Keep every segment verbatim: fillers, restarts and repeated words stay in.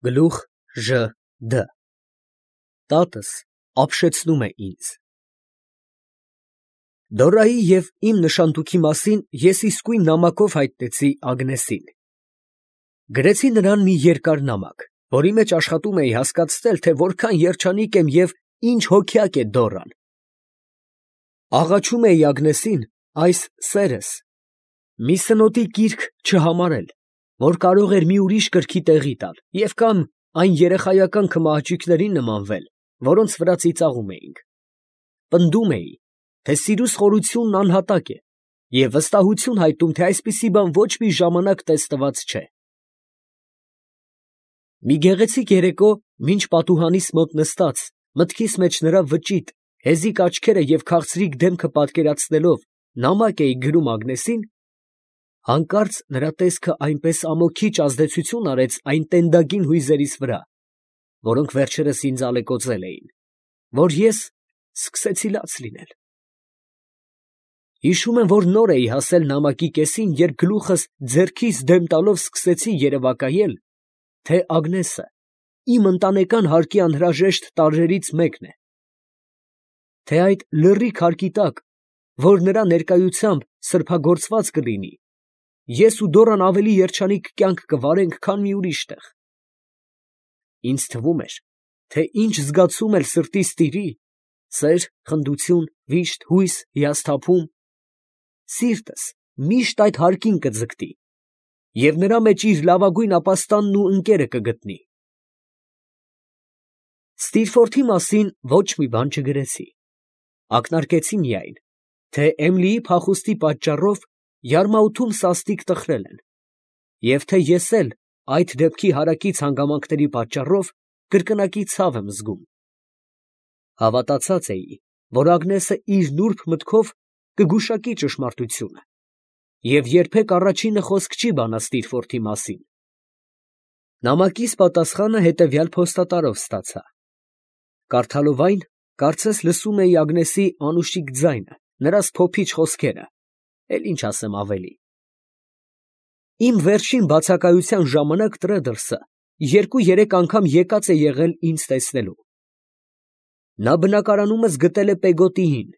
Գլուխ Ժ Դ Տատս ապշեցնում է ինձ։ Դորայի և իմ նշանտուքի մասին ես իսկույն նամակով հայտնեցի Ագնեսին։ Գրեցի նրան մի երկար նամակ, որի մեջ աշխատում էի հասկացնել, թե որքան երջանիկ եմ և ինչ հոգյակ է Դորան։ Աղաչում էի Ագնեսին այս սերս մի սնոտի կիրք չհամարել, որ կարող էր մի ուրիշ կրքի տեղի տալ և կամ այն երեխայական քմահաճույքներին նմանվել, որոնց վրա ծիծաղում էինք։ Պնդում էի, թե սիրուս խորությունն անհատակ է և վստահություն հայտնում, թե այսպիսի բան ոչ մի ժամանակ տեսնված չէ։ Մի գեղեցիկ երեկո, մինչ պատուհանիս մոտ նստած, մտքիս մեջ նրա վճիտ, հեզիկ աչքերը և քաղցրիկ դեմքը պատկերացնելով, նամակ էի գրում Ագնեսին, հանկարծ նրա տեսքը այնպես ամոքիչ ազդեցություն արեց այն տենդագին հույզերիս վրա, որոնք վերջերս ինձ ալեկոծել էին, որ ես սկսեցի լաց լինել։ Հիշում եմ, որ նոր էի հասել նամակի կեսին, երբ գլուխս ձեռքիս դեմ տալով սկսեցի երևակայել, թե Ագնեսը իմ ընտանեկան հարկի անհրաժեշտ տարրերից մեկն է, թե այդ լռիկ հարկի տակ, որ նրա ներկայությամբ սրբագործված կլինի, ես ու Դորան ավելի երջանիկ կյանք կվարենք, քան մի ուրիշ տեղ։ Ինձ թվում էր, թե ինչ զգացում էլ սրտիս տիրի, սեր, խնդություն, վիշտ, հույս, հիասթափում, սիրտս միշտ այդ հարկին կձգտի և նրա մեջ իր լավագույն ապաստանն ու ընկերը կգտնի։ Ստիրֆորթի մասին ոչ մի բան չգրեցի, ակնարկեցի միայն, թե Էմիլիի փախուստի պատճառով Յարմաութում սաստիկ տխրել են, և թե ես էլ այդ դեպքի հարակից հանգամանքների պատճառով կրկնակի ցավ եմ զգում։ Հավատացած էի, որ Ագնեսը իր նուրբ մտքով կգուշակի ճշմարտությունը և երբեք առաջինը խոսք չի բանա Ստիրֆորթի մասին։ Նամակիս պատասխանը հետևյալ փոստատարով ստացա։ Կարդալով այն, կարծես լսում էի Ագնեսի անուշիկ ձայնը, նրա սփոփիչ խոսքերը, էլ ինչ ասեմ ավելի։ Իմ վերջին բացակայության ժամանակ Տրեդլսը երկու֊երեք անգամ եկած է եղել ինձ տեսնելու։ Նա բնակարանումս գտել է Պեգոտիին,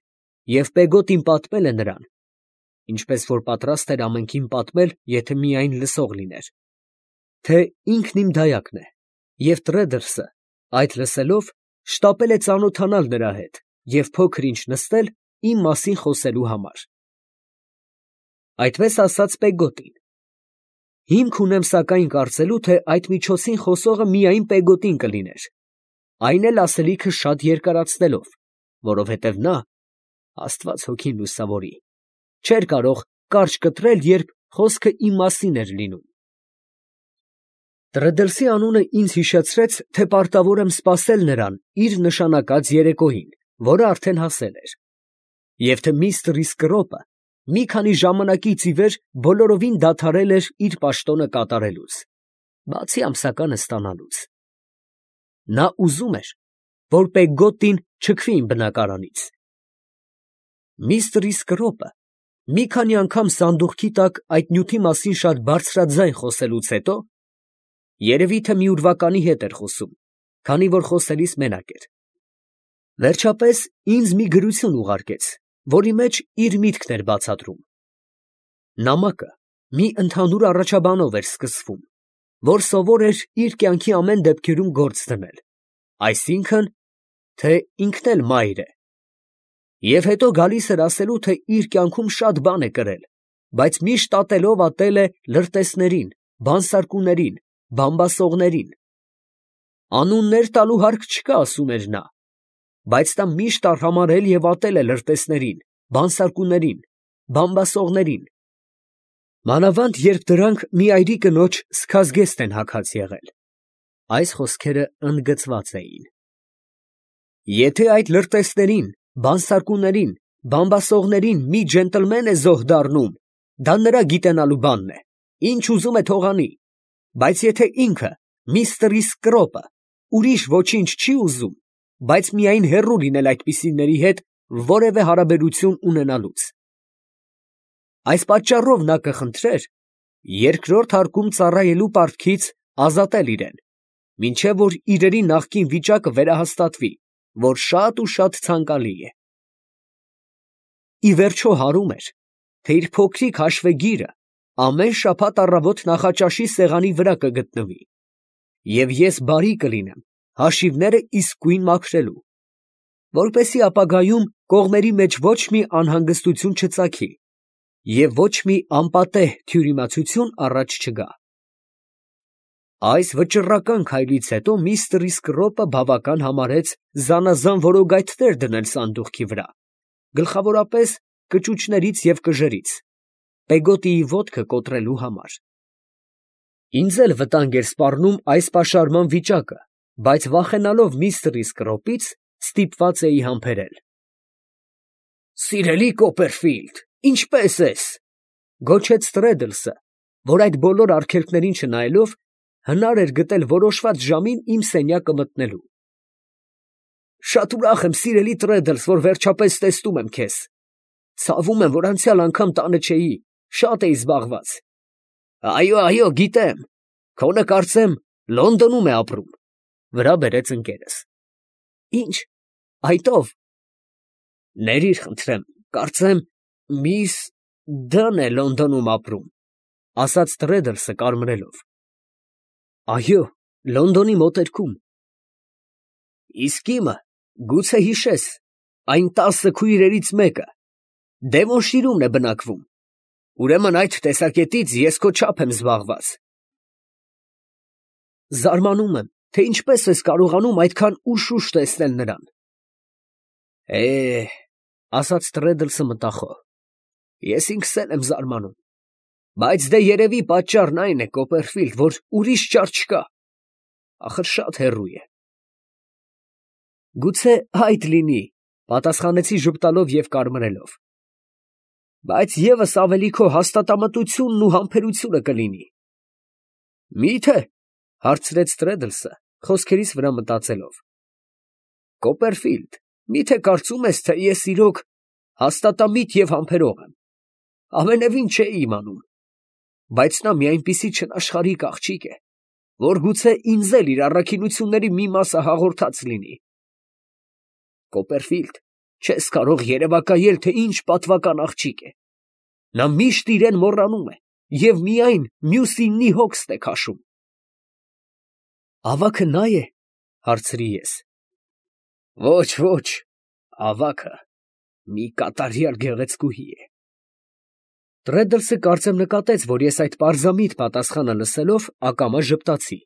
և Պեգոտին պատմել է նրան, ինչպես որ պատրաստ էր ամենքին պատմել, եթե միայն լսող լիներ, թե ինքն իմ դայակն է, և Տրեդլսը, այդ լսելով, շտապել է ծանոթանալ նրա հետ և փոքր ինչ նստել իմ մասին խոսելու համար։ Այդպես ասաց Պեգոտին։ Հիմք ունեմ սակայն կարծելու, թե այդ միջոցին խոսողը միայն Պեգոտին կլիներ, այն էլ ասելիքը շատ երկարացնելով, որովհետև նա, աստված հոգին լուսավորի, չէր կարող կարճ կտրել, երբ խոսքը իմ մասին էր լինում։ Տրեդլսի անունը ինձ հիշեցրեց, թե պարտավոր եմ սպասել նրան իր նշանակած երեկոյին, որը արդեն հասել էր, և թե միստր Իսկրոպը մի քանի ժամանակից ի վեր բոլորովին դադարել էր իր պաշտոնը կատարելուց, բացի ամսականը ստանալուց։ Նա ուզում էր, որ Պեգոտին չքվի իմ բնակարանից։ Միստր Իսկրոպը մի քանի անգամ սանդուղքի տակ այդ նյութի մասին շատ բարձրաձայն խոսելուց հետո, երևի թե մի ուրվականի հետ էր խոսում, քանի որ խոսելիս մենակ էր, վերջապես ինձ մի գրություն ուղարկեց, որի մեջ իր միտքն էր բացատրում։ Նամակը մի ընդհանուր առաջաբանով էր սկսվում, որ սովոր էր իր կյանքի ամեն դեպքերում գործ դնել, այսինքն, թե ինքն էլ մայր է, և հետո գալիս էր ասելու, թե իր կյանքում շատ բան է կրել, բայց միշտ ատելով ատել է լրտեսներին, բանսարկուներին, բամբասողներին։ Անուններ տալու հարկ չկա, ասում էր նա, բայց նա միշտ արհամարհել և ատել է լրտեսներին, բանսարկուներին, բամբասողներին, մանավանդ երբ դրանք մի այրի կնոջ սքազգեստ են հագած եղել։ Այս խոսքերը ընդգծված էին։ Եթե այդ լրտեսներին, բանսարկուներին, բամբասողներին մի ջենտլմեն է զոհ դառնում, դա նրա գիտենալու բանն է, ինչ ուզում է թող անի, բայց եթե ինքը, միստր Իսկրոպը, ուրիշ ոչինչ չի ուզում, բայց միայն հեռու լինել այդպիսիների հետ որևէ հարաբերություն ունենալուց, այս պատճառով նա կխնդրեր երկրորդ հարկում ծառայելու պարտքից ազատել իրեն, մինչև որ իրերի նախկին վիճակը վերահաստատվի, որ շատ ու շատ ցանկալի է։ Ի վերջո հարում էր, թե իր փոքրիկ հաշվեգիրը ամեն շաբաթ առավոտ նախաճաշի սեղանի վրա կգտնվի, և ես բարի կլինեմ հաշիվները իսկույն մաքրելու, որպեսզի ապագայում կողմերի մեջ ոչ մի անհանգստություն չծագի և ոչ մի անպատեհ թյուրիմացություն առաջ չգա։ Այս վճռական քայլից հետո միստր Իսկրոպը բավական համարեց զանազան որոգայթներ դնել սանդուղքի վրա, գլխավորապես կճուճներից և կժերից, Պեգոտիի ոտքը կոտրելու համար։ Ինձ էլ վտանգ էր սպառնում այս պաշարման վիճակը, բայց վախենալով միստր Իսկրոպից, ստիպված էի համբերել։ «Սիրելի Կոպերֆիլդ, ինչպե՞ս ես», ֊ գոչեց Տրեդլսը, որ այդ բոլոր արգելքներին չնայելով, հնար էր գտել որոշված ժամին իմ սենյակը մտնելու։ «Շատ ուրախ եմ, սիրելի Տրեդլս, որ վերջապես տեսնում եմ քեզ. ցավում եմ, որ անցյալ անգամ տանը չէի, շատ էի զբաղված»։ «Այո, այո, գիտեմ, քոնը կարծեմ Լոնդոնում է ապրում», ֊ վրա բերեց ընկերս։ «Ի՞նչ, այդ ո՞վ»։ «Ներիր, խնդրեմ, կարծեմ միս Դ֊ն է Լոնդոնում ապրում», ֊ ասաց Տրեդլսը կարմրելով։ «Այո, Լոնդոնի մոտերքում»։ «Իսկ իմը, գուցե հիշես, այն տասը քույրերից մեկը Դևոնշիրում է բնակվում, ուրեմն այդ տեսակետից ես քո չափ եմ զբաղված»։ «Զարմանում եմ, թե ինչպես ես կարողանում այդքան ուշ֊ուշ տեսնել նրան»։ «Է, — ասաց Տրեդլսը մտախոհ, — ես ինքս էլ եմ զարմանում, բայց դե երևի պատճառն այն է, Կոպերֆիլդ, որ ուրիշ ճար չկա, ախր շատ հեռու է»։ «Գուցե այդ լինի», ֊ պատասխանեցի ժպտալով և կարմրելով, «բայց ևս ավելի քո հաստատամտությունն ու համբերությունը կլինի»։ «Մի՞թե», ֊ հարցրեց Տրեդլսը, խոսքերիս վրա մտածելով, «Կոպերֆիլդ, մի՞թե կարծում ես, թե ես իրոք հաստատամիտ և համբերող եմ։ Ամենևին չէի իմանում, բայց նա մի այնպիսի չնաշխարհիկ աղջիկ է, որ գուցե ինձ էլ իր առաքինությունների մի մասը հաղորդած լինի։ Կոպերֆիլդ, չես կարող երևակայել, թե ինչ պատվական աղջիկ է։ Նա միշտ իրեն մոռանում է և միայն մյուսիննի հոգստ է քաշում»։ «Ավագը նա է», ֊ հարցրի ես։ «Ոչ, ոչ, ավագը մի կատարյալ գեղեցկուհի է»։ Տրեդլսը կարծեմ նկատեց, որ ես այդ պարզամիտ պատասխանը լսելով ակամա ժպտացի,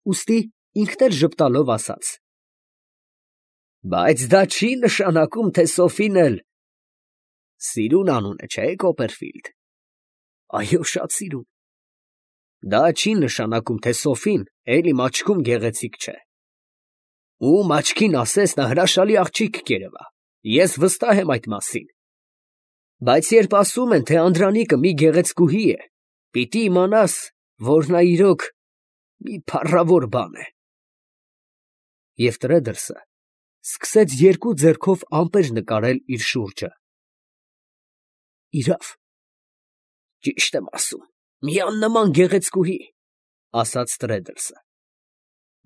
ուստի ինքն էլ ժպտալով ասաց. «Բայց դա չի նշանակում, թե Սոֆին էլ սիրուն անուն է, չէ՞, Կոպերֆիլդ»։ «Այո, շատ սիրուն»։ «Դա չի նշանակում, թե Սոֆին էլ իմ աչքում գեղեցիկ չէ։ Ում աչքին ասես, նա հրաշալի աղջիկ կերևա, ես վստահ եմ այդ մասին։ Բայց երբ ասում են, թե անդրանիկը մի գեղեցկուհի է, պիտի իմանաս, որ նա իրոք մի փառավոր բան է»։ Եվ Տրեդլսը սկսեց երկու ձեռքով ամպեր նկարել իր շուրջը։ «Իրավ, ճիշտ եմ ասում, մի աննման գեղեցկուհի», ֊ ասաց Տրեդլսը։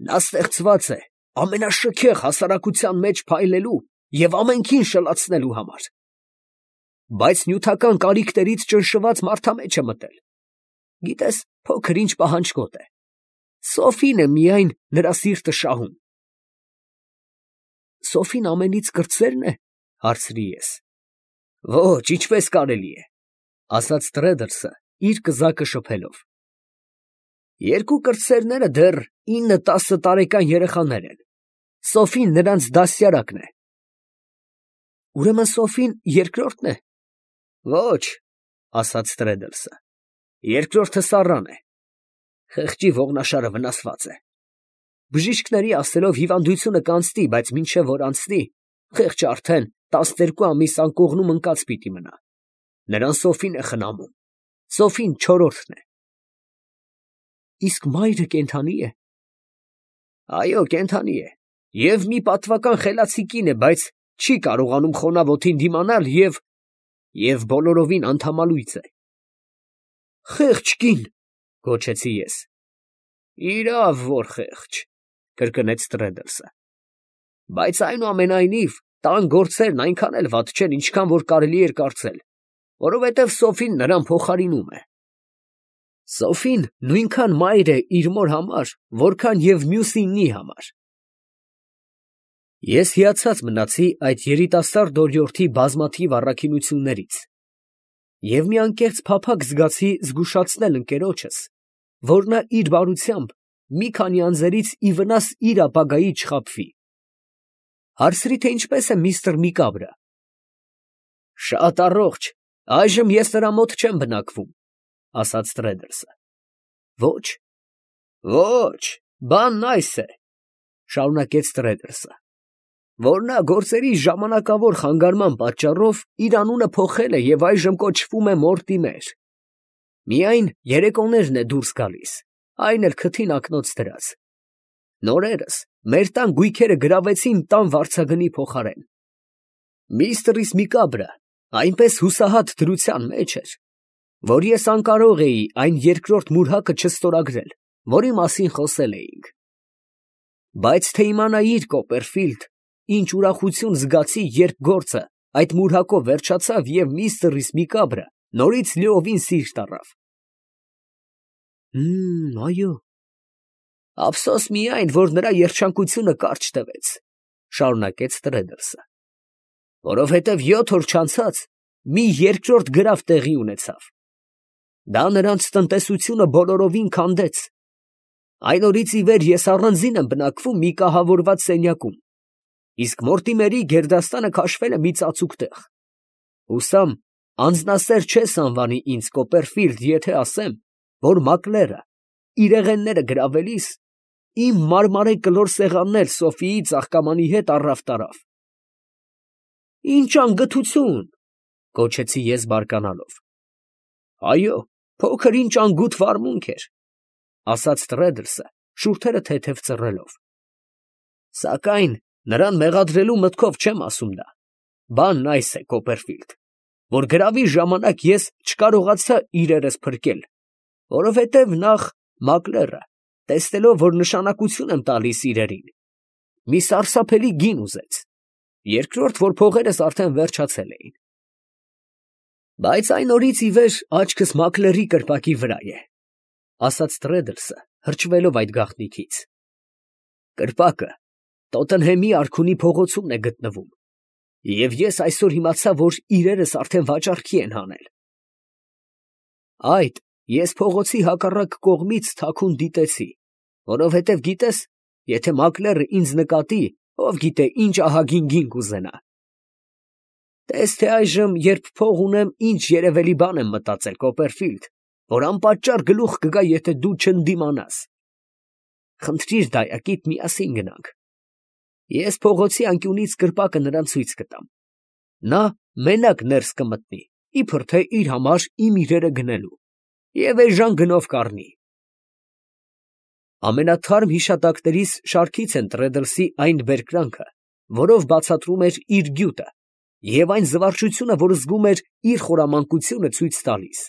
«Նա ստեղծված է ամենաշքեղ հասարակության մեջ փայլելու և ամենքին շլացնելու համար, բայց նյութական կարիքներից ճնշված մարդամեջ է մտել։ Գիտես, փոքր ինչ պահանջկոտ է, Սոֆին է միայն նրա սիրտը շահում»։ «Սոֆին ամենից կրտսե՞րն է», ֊ հարցրի ես։ «Ոչ, ինչպես կարելի է», ֊ ասաց Տրեդլսը իր կզակը շփելով։ «Երկու կրտսերները դեռ ինը֊տասը տարեկան երեխաներ են, Սոֆին նրանց դաստիարակն է»։ «Ուրեմն Սոֆին երկրորդն է»։ «Ոչ», ֊ ասաց Տրեդլսը, «երկրորդը Սառան է, խեղճի ողնաշարը վնասված է։ Բժիշկների ասելով հիվանդությունը կանցնի, բայց մինչև որ անցնի, խեղճը արդեն տասներկու ամիս անկողնում ընկած պիտի մնա։ Նրան Սոֆին է խնամում, Սոֆին չորրորդն է»։ «Իսկ մայրը կենդանի է»։ «Այո, կենդանի է և մի պատվական խելացի կին է, բայց չի կարողանում խոնավոթին դիմանալ և… և բոլորովին անդամալույծ է»։ «Խեղճ կին», ֊ գոչեցի ես։ «Իրավ որ խեղճ, կրկնեց Տրեդլսը։ Բայց այնուամենայնիվ տան գործերն այնքան էլ վատ չեն, ինչքան որ կարելի էր կարծել, որովհետև Սոֆին նրան փոխարինում է։ Սոֆին նույնքան մայր է իր մոր համար, որքան և մյուսինի համար։ Ես հիացած մնացի այդ երիտասարդ օրիորդի բազմաթիվ առաքինություններից և մի անկեղծ փափագ զգացի զգուշացնել ընկերոջս, որ նա իր բարությամբ մի քանի անձերից ի վնաս իր ապագայի չխաբվի։ Հարցրի, թե ինչպես է միստր Միկաբրը։ Շատ առողջ, այժմ ես նրա մոտ չեմ բնակվում, ասաց Տրեդլսը։ Ոչ, ոչ, բանն այս է, շարունակեց Տրեդլսը, որ նա գործերի ժամանակավոր խանգարման պատճառով իր անունը փոխել է և այժմ կոչվում է Մորտիմեր։ Միայն երեկոներն է դուրս գալիս, այն էլ քթին ակնոց դրած։ Նորերս մեր տան գույքերը գրավեցին տան վարձագնի փոխարեն։ Միստր Միկաբրը այնպես հուսահատ դրության մեջ էր, որ ես անկարող էի այն երկրորդ մուրհակը չստորագրել, որի մասին խոսել էինք։ Բայց թե իմանայիր, Կոպերֆիլդ, ինչ ուրախություն զգացի, երբ գործը այդ մուրհակով վերջացավ և միստր Միկաբրը նորից լիովին սիրտ առավ։ Հմ, այո։ Ափսոս միայն, որ նրա երջանկությունը կարճ տևեց, շարունակեց Տրեդլսը, որովհետև յոթ օր չանցած մի երկրորդ գրավ տեղի ունեցավ։ Դա նրանց տնտեսությունը բոլորովին քանդեց։ Այն օրից ի վեր ես առանձին եմ բնակվում մի կահավորված սենյակում, իսկ Մորտիմերի գերդաստանը քաշվել է մի ծածուկ տեղ։ Հուսամ, անձնասեր չես անվանի ինձ, Կոպերֆիլդ, եթե ասեմ, որ Մակլերը իրեղենները գրավելիս իմ մարմարե կլոր սեղանն էլ Սոֆիի ծաղկամանի հետ առավ տարավ։ Ինչ անգթություն, գոչեցի ես բարկանալով։ Այո, փոքր ինչ անգութ վարմունք էր, ասաց Տրեդլսը, շուրթերը թեթև ծռելով։ Սակայն նրան մեղադրելու մտքով չեմ ասում դա։ Բանն այս է, Կոպերֆիլդ, որ գրավի ժամանակ ես չկարողացա իրերս փրկել, որովհետև նախ Մակլերը, տեսնելով, որ նշանակություն եմ տալիս իրերին, մի սարսափելի գին ուզեց, երկրորդ, որ փողերս արդեն վերջացել էին։ Բայց այն օրից ի վեր աչքս Մակլերի կրպակի վրա է, ասաց Տրեդլսը, հրճվելով այդ գաղտնիքից։ Կրպակը Տոտենհեմի արքունի փողոցումն է գտնվում, և ես այսօր իմացա, որ իրերս արդեն վաճառքի են հանել։ Այդ ես փողոցի հակառակ կողմից թաքուն դիտեցի, որովհետև գիտես, եթե Մակլերը ինձ նկատի, ով գիտե ինչ ահագին գին կուզենա։ Տես թե այժմ, երբ փող ունեմ, ինչ երևելի բան եմ մտածել, Կոպերֆիլդ, որ անպատճառ գլուխ կգա, եթե դու չընդդիմանաս։ Խնդրիր դայակիդ, միասին գնանք։ Ես փողոցի անկյունից կրպակը նրան ցույց կտամ։ Նա մենակ ներս կմտնի, իբր թե իր համար իմ իրերը գնելու, և էժան գնով կառնի։ Ամենաթարմ հիշատակներիս շարքից են Տրեդլսի այն բերկրանքը, որով բացատրում էր իր գյուտը, և այն զվարճությունը, որ զգում էր իր խորամանկությունը ցույց տալիս։